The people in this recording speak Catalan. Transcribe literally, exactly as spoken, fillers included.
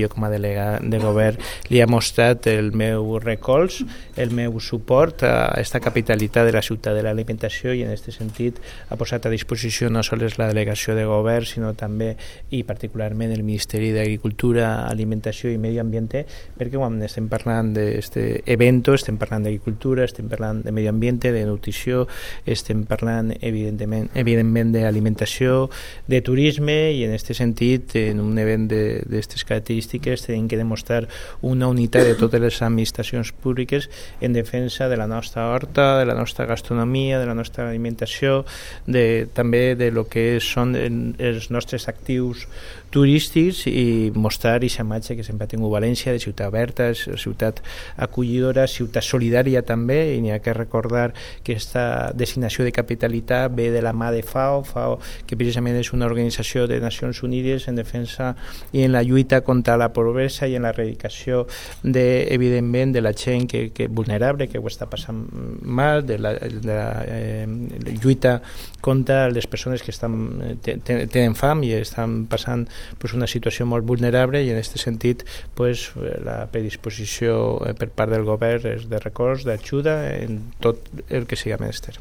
Jo com a delegat de govern li he mostrat el meu recolz, el meu suport a aquesta capitalitat de la ciutat de l'alimentació i en aquest sentit ha posat a disposició no sols la delegació de govern sinó també i particularment el Ministeri d'Agricultura, Alimentació i Medi Ambiente perquè quan estem parlant d'aquest event estem parlant d'agricultura, estem parlant de medi ambient, de nutrició, estem parlant evidentment, evidentment d'alimentació, de turisme i en aquest sentit en un event d'aquestes característiques tenim que demostrar una unitat de totes les administracions públiques en defensa de la nostra horta, de la nostra gastronomia, de la nostra alimentació, de, també de lo que són els nostres actius turístics i mostrar aquesta imatge que sempre ha tingut València de ciutat oberta, ciutat acollidora, ciutat solidària també, i n'hi ha que recordar que aquesta designació de capitalitat ve de la mà de FAO, FAO que precisament és una organització de Nacions Unides en defensa i en la lluita contra la pobresa i en l'erradicació de, evidentment, de la gent que, que vulnerable, que ho està passant mal, de la, de la eh, lluita contra les persones que estan, tenen fam i estan passant pues, una situació molt vulnerable i en aquest sentit pues, la predisposició per part del govern és de recolz, d'ajuda en tot el que sigui menester.